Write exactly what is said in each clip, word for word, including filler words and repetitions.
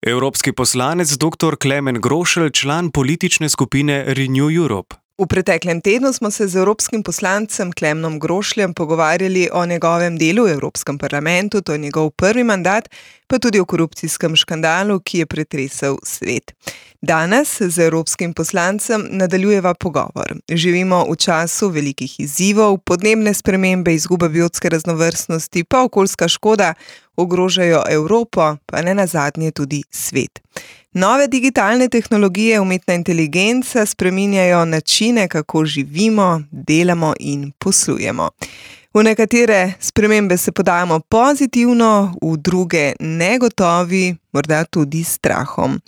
Evropski poslanec dr. Klemen Grošelj, član politične skupine Renew Europe. V preteklem tednu smo se z evropskim poslancem Klemenom Grošljem pogovarjali o njegovem delu v Evropskem parlamentu, to je njegov prvi mandat, pa tudi o korupcijskem škandalu, ki je pretresel svet. Danes z evropskim poslancem nadaljujeva pogovor. Živimo v času velikih izzivov, podnebne spremembe, izguba biotske raznovrstnosti, pa okoljska škoda ogrožajo Evropo, pa ne nazadnje tudi svet. Nove digitalne tehnologije, umetna inteligenca spreminjajo načine, kako živimo, delamo in poslujemo. V nekatere spremembe se podajamo pozitivno, v druge negotovi, morda tudi strahom.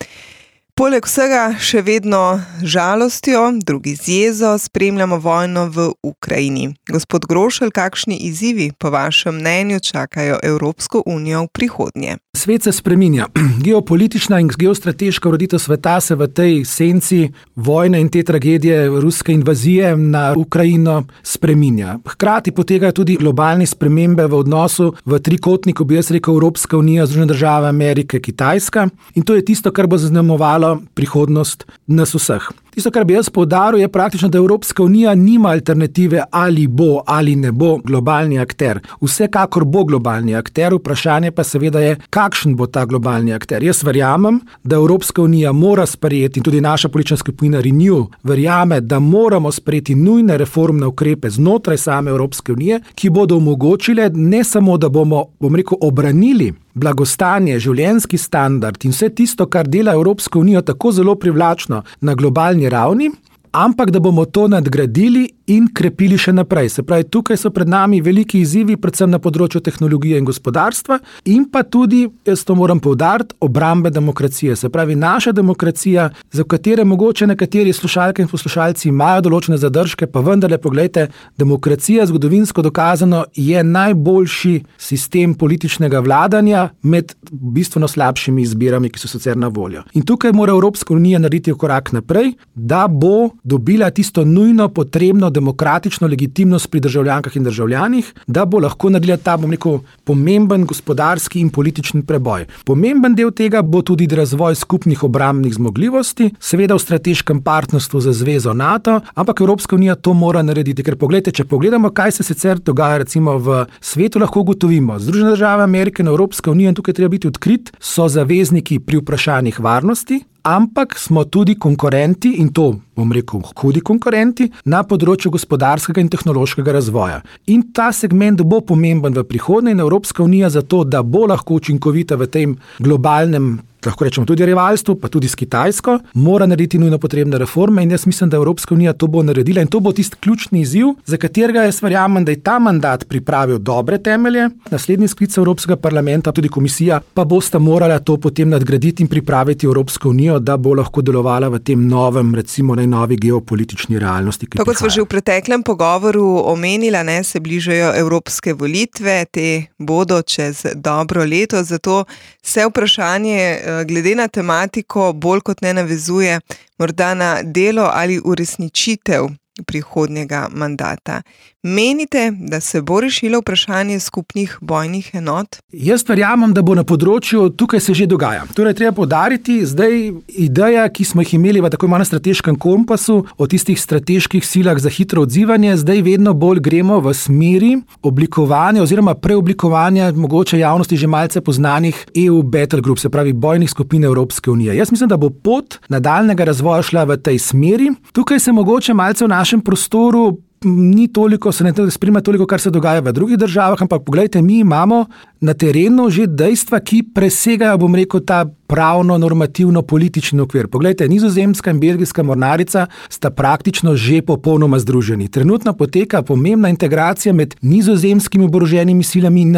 Poleg vsega še vedno žalostjo, drugi z jezo spremljamo vojno v Ukrajini. Gospod Grošelj, kakšni izzivi po vašem mnenju čakajo Evropsko unijo v prihodnje? Svet se spreminja. Geopolitična in geostrateška ureditev sveta se v tej senci vojne in te tragedije ruske invazije na Ukrajino spreminja. Hkrati potekajo tudi globalne spremembe v odnosu v trikotniku, bi jaz rekel, Evropska unija, Združene države Amerike, Kitajska. In to je tisto, kar bo zaznamovalo prihodnost nas vseh. Tisto, kar bi jaz poudaril, je praktično, da Evropska unija nima alternative, ali bo ali ne bo globalni akter. Vsekakor bo globalni akter, vprašanje pa seveda je, kakšen bo ta globalni akter. Jaz verjamem, da Evropska unija mora sprejeti, in tudi naša politična skupina Renew verjame, da moramo sprejeti nujne reformne ukrepe znotraj same Evropske unije, ki bodo omogočile ne samo, da bomo, bom rekel, obranili blagostanje, življenjski standard in vse tisto, kar dela Evropsko unijo tako zelo privlačno na globalni ravni, ampak da bomo to nadgradili in krepili še naprej. Se pravi, tukaj so pred nami veliki izzivi, predvsem na področju tehnologije in gospodarstva in pa tudi, jaz to moram poudariti, obrambe demokracije. Se pravi, naša demokracija, za katere mogoče nekateri slušalke in poslušalci imajo določene zadržke, pa vendarle, poglejte, demokracija zgodovinsko dokazano je najboljši sistem političnega vladanja med bistveno slabšimi izbirami, ki so sicer na voljo. In tukaj mora Evropska unija narediti korak naprej, da bo dobila tisto nujno potrebno demokratično legitimnost pri državljankah in državljanih, da bo lahko naredila ta, bom rekel, pomemben gospodarski in politični preboj. Pomemben del tega bo tudi razvoj skupnih obrambnih zmogljivosti, seveda v strateškem partnerstvu za zvezo NATO, ampak Evropska unija to mora narediti, ker poglejte, če pogledamo, kaj se sicer dogaja recimo v svetu, lahko ugotovimo. Združene države Amerike in Evropska unija, in tukaj treba biti odkrit, so zavezniki pri vprašanjih varnosti, ampak smo tudi konkurenti, in to, bom rekel, hudi konkurenti, na področju gospodarskega in tehnološkega razvoja. In ta segment bo pomemben v prihodnje in Evropska unija zato, da bo lahko učinkovita v tem globalnem, lahko rečemo tudi rivalstvu, pa tudi s Kitajsko, mora narediti nujno potrebne reforme in jaz mislim, da Evropska unija to bo naredila in to bo tisti ključni izziv, za katerega jaz verjamem, da je ta mandat pripravil dobre temelje. Naslednji sklic Evropskega parlamenta, tudi komisija, pa bosta morala to potem nadgraditi in pripraviti Evropsko unijo, da bo lahko delovala v tem novem, recimo najnovi geopolitični realnosti, ki prihaja. Tako smo že v preteklem pogovoru omenila, ne, se bližajo evropske volitve, te bodo čez dobro leto, zato se vprašanje glede na tematiko bolj kot ne navezuje morda na delo ali uresničitev prihodnjega mandata. Menite, da se bo rešilo vprašanje skupnih bojnih enot? Jaz verjamem, da bo na področju, tukaj se že dogaja. Torej, treba poudariti, zdaj ideja, ki smo jih imeli v tako imenem strateškem kompasu, o tistih strateških silah za hitro odzivanje, zdaj vedno bolj gremo v smeri oblikovanja oziroma preoblikovanja mogoče javnosti že malce poznanih E U Battle Group, se pravi bojnih skupin Evropske unije. Jaz mislim, da bo pot nadaljnega razvoja šla v tej smeri. Tukaj se mogoče malce v našem prostoru ni toliko, se ne spremlja toliko, kar se dogaja v drugih državah, ampak poglejte, mi imamo na terenu že dejstva, ki presegajo, bom rekel, ta pravno, normativno, politični okvir. Poglejte, Nizozemska in Belgijska mornarica sta praktično že popolnoma združeni. Trenutno poteka pomembna integracija med nizozemskimi oboroženimi silami in,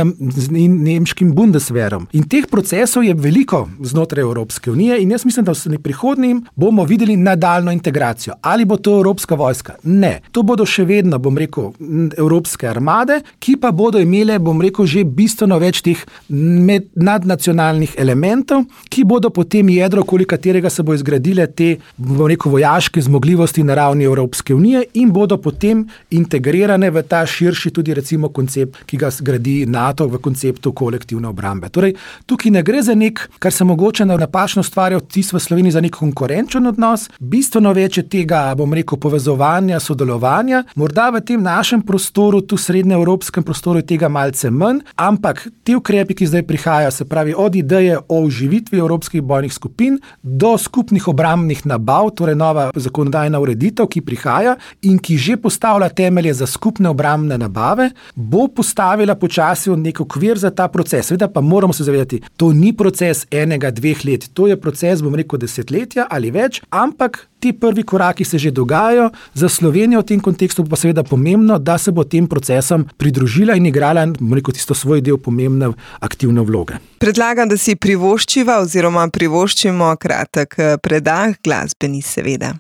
in nemškim Bundeswehrom. In teh procesov je veliko znotraj Evropske unije in jaz mislim, da v prihodnjem bomo videli nadaljno integracijo. Ali bo to Evropska vojska? Ne. To bodo še vedno, bom rekel, evropske armade, ki pa bodo imele, bom rekel, že bistveno več več teh med, nadnacionalnih elementov, ki bodo potem jedro, okoli katerega se bo izgradile te, bom rekel, vojaške zmogljivosti na ravni Evropske unije in bodo potem integrirane v ta širši tudi recimo koncept, ki ga zgradi NATO v konceptu kolektivne obrambe. Torej, tukaj ne gre za nek, kar se mogoče napačno ustvarja vtis v Sloveniji, za nek konkurenčen odnos, bistveno več je tega, bom rekel, povezovanja, sodelovanja, morda v tem našem prostoru, tu srednjeevropskem prostoru je tega malce manj, ampak ti ukrepi, ki zdaj prihajajo, se pravi od ideje o oživitvi evropskih bojnih skupin do skupnih obrambnih nabav, torej nova zakonodajna ureditev, ki prihaja in ki že postavlja temelje za skupne obrambne nabave, bo postavila počasi nek okvir za ta proces. Seveda pa moramo se zavedati, to ni proces enega, dveh let, to je proces, bom rekel, desetletja ali več, ampak ti prvi koraki se že dogajajo. Za Slovenijo v tem kontekstu pa seveda pomembno, da se bo tem procesom pridružila in igrala, bom rekel, tisto svoj del pomembne aktivne vloge. Predlagam, da si privoščiva oziroma privoščimo kratek predah, glasbeni seveda.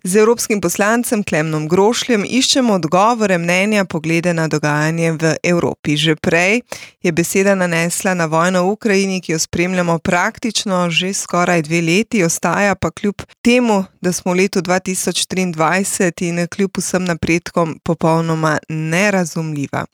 Z evropskim poslancem Klemnom Grošljem iščemo odgovore, mnenja, poglede na dogajanje v Evropi. Že prej je beseda nanesla na vojno v Ukrajini, ki jo spremljamo praktično že skoraj dve leti, ostaja pa kljub temu, da smo v letu dva tisoč triindvajset in kljub vsem napredkom popolnoma nerazumljiva.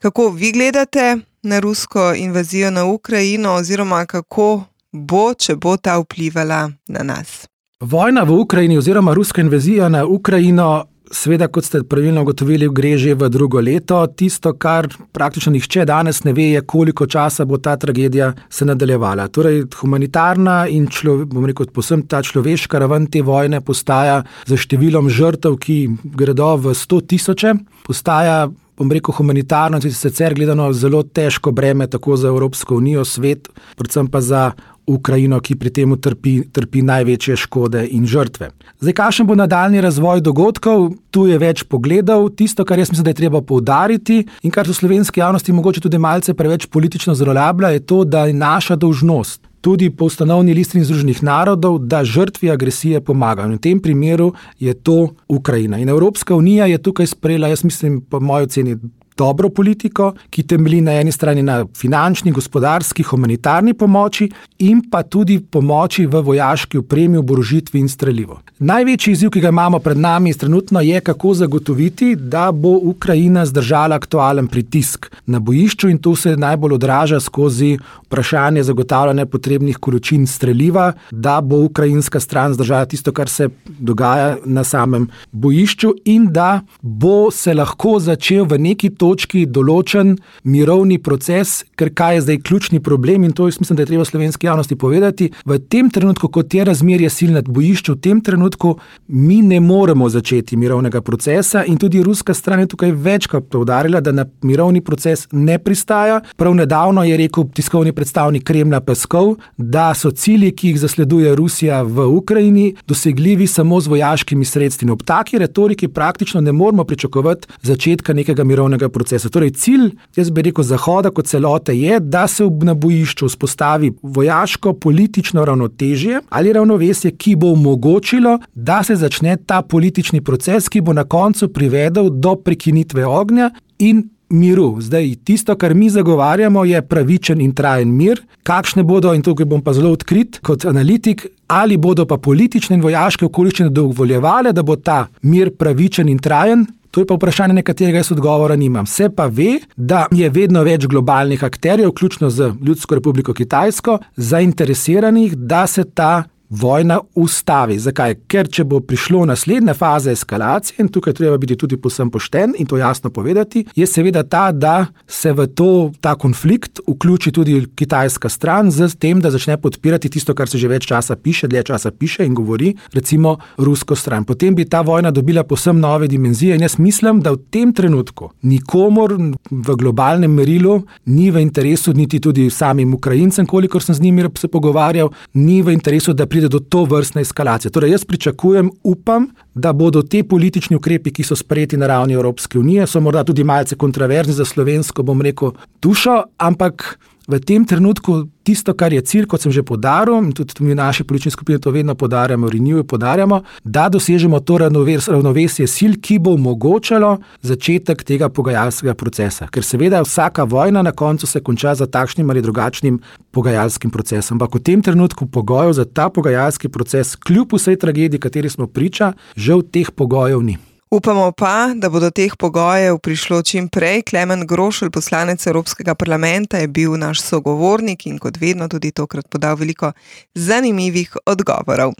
Kako vi gledate na rusko invazijo na Ukrajino oziroma kako bo, če bo ta vplivala na nas? Vojna v Ukrajini oziroma ruska invazija na Ukrajino, seveda, kot ste pravilno ugotovili, gre že v drugo leto. Tisto, kar praktično nihče danes ne ve, je, koliko časa bo ta tragedija se nadaljevala. Torej, humanitarna in človek, bom rekel, posebno ta človeška raven te vojne postaja za številom žrtev, ki gredo v sto tisoče, postaja, bom rekel, humanitarno, sicer gledano zelo težko breme tako za Evropsko unijo, svet, predvsem pa za Ukrajino, ki pri tem trpi, trpi največje škode in žrtve. Zdaj, kakšen bo nadaljnji razvoj dogodkov? Tu je več pogledov. Tisto, kar jaz mislim, da je treba poudariti in kar so slovenski javnosti mogoče tudi malce preveč politično zlorablja, je to, da je naša dolžnost tudi po ustanovni listini Združenih narodov, da žrtvi agresije pomagajo. V tem primeru je to Ukrajina. In Evropska unija je tukaj sprejela, jaz mislim, po moji oceni, dobro politiko, ki temelji na eni strani na finančni, gospodarski, humanitarni pomoči in pa tudi pomoči v vojaški opremi, oborožitvi in strelivu. Največji izziv, ki ga imamo pred nami trenutno, je, kako zagotoviti, da bo Ukrajina zdržala aktualen pritisk na bojišču in to se najbolj odraža skozi vprašanje zagotavljanja potrebnih količin streliva, da bo ukrajinska stran zdržala tisto, kar se dogaja na samem bojišču in da bo se lahko začel v neki točki določen mirovni proces, ker kaj je zdaj ključni problem in to jaz mislim, da je treba slovenski javnosti povedati. V tem trenutku, kot je razmerje sil nad bojišču, v tem trenutku mi ne moremo začeti mirovnega procesa in tudi ruska stran je tukaj večkrat poudarila, da na mirovni proces ne pristaja. Prav nedavno je rekel tiskovni predstavnik Kremlja Peskov, da so cilji, ki jih zasleduje Rusija v Ukrajini, dosegljivi samo z vojaškimi sredstvi. Ob taki retoriki praktično ne moremo pričakovati začetka nekega mirovnega procesa. Torej cilj, jaz bi rekel, Zahoda kot celote je, da se na bojišču vzpostavi vojaško politično ravnotežje ali ravnovesje, ki bo omogočilo, da se začne ta politični proces, ki bo na koncu privedel do prekinitve ognja in miru. Zdaj, tisto, kar mi zagovarjamo, je pravičen in trajen mir. Kakšne bodo, in tukaj bom pa zelo odkrit kot analitik, ali bodo pa politične in vojaške okoliščine dovoljevale, da bo ta mir pravičen in trajen, to je pa vprašanje, na katerega jaz odgovora nimam. Se pa ve, da je vedno več globalnih akterjev, vključno z Ljudsko republiko Kitajsko, zainteresiranih, da se ta vojna ustavi. Zakaj? Ker če bo prišlo naslednja faza eskalacije, in tukaj treba biti tudi povsem pošten in to jasno povedati, je seveda ta, da se v to, ta konflikt vključi tudi kitajska stran z tem, da začne podpirati tisto, kar se že več časa piše, dlje časa piše in govori, recimo rusko stran. Potem bi ta vojna dobila povsem nove dimenzije in jaz mislim, da v tem trenutku nikomor v globalnem merilu ni v interesu, niti tudi samim Ukrajincem, kolikor sem z njimi se pogovarjal, ni v interesu, da pride do to vrstne eskalacije. Torej, jaz pričakujem, upam, da bodo te politični ukrepi, ki so sprejeti na ravni Evropske unije, so morda tudi malce kontroverzni za slovensko, bom rekel, dušo, ampak V tem trenutku tisto, kar je cilj, kot sem že poudaril, in tudi mi v naši politični skupini to vedno poudarjamo, Renew poudarjamo, da dosežemo to ravnovesje sil, ki bo omogočalo začetek tega pogajalskega procesa. Ker seveda vsaka vojna na koncu se konča za takšnim ali drugačnim pogajalskim procesom. Ampak v tem trenutku pogojev za ta pogajalski proces, kljub vsej tragediji, kateri smo priča, žal teh pogojev ni. Upamo pa, da bo do teh pogojev prišlo čim prej. Klemen Grošelj, poslanec Evropskega parlamenta, je bil naš sogovornik in kot vedno tudi tokrat podal veliko zanimivih odgovorov.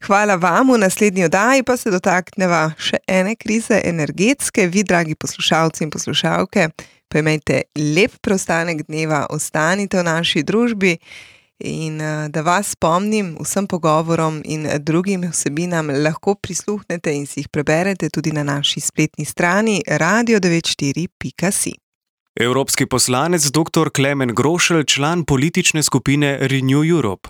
Hvala vam, v naslednji oddaji pa se dotakneva še ene krize energetske. Vi, dragi poslušalci in poslušalke, pa imejte lep preostanek dneva, ostanite v naši družbi. In da vas spomnim, vsem pogovorom in drugim vsebinam lahko prisluhnete in si jih preberete tudi na naši spletni strani radio devet štiri pika si. Evropski poslanec dr. Klemen Grošelj, član politične skupine Renew Europe.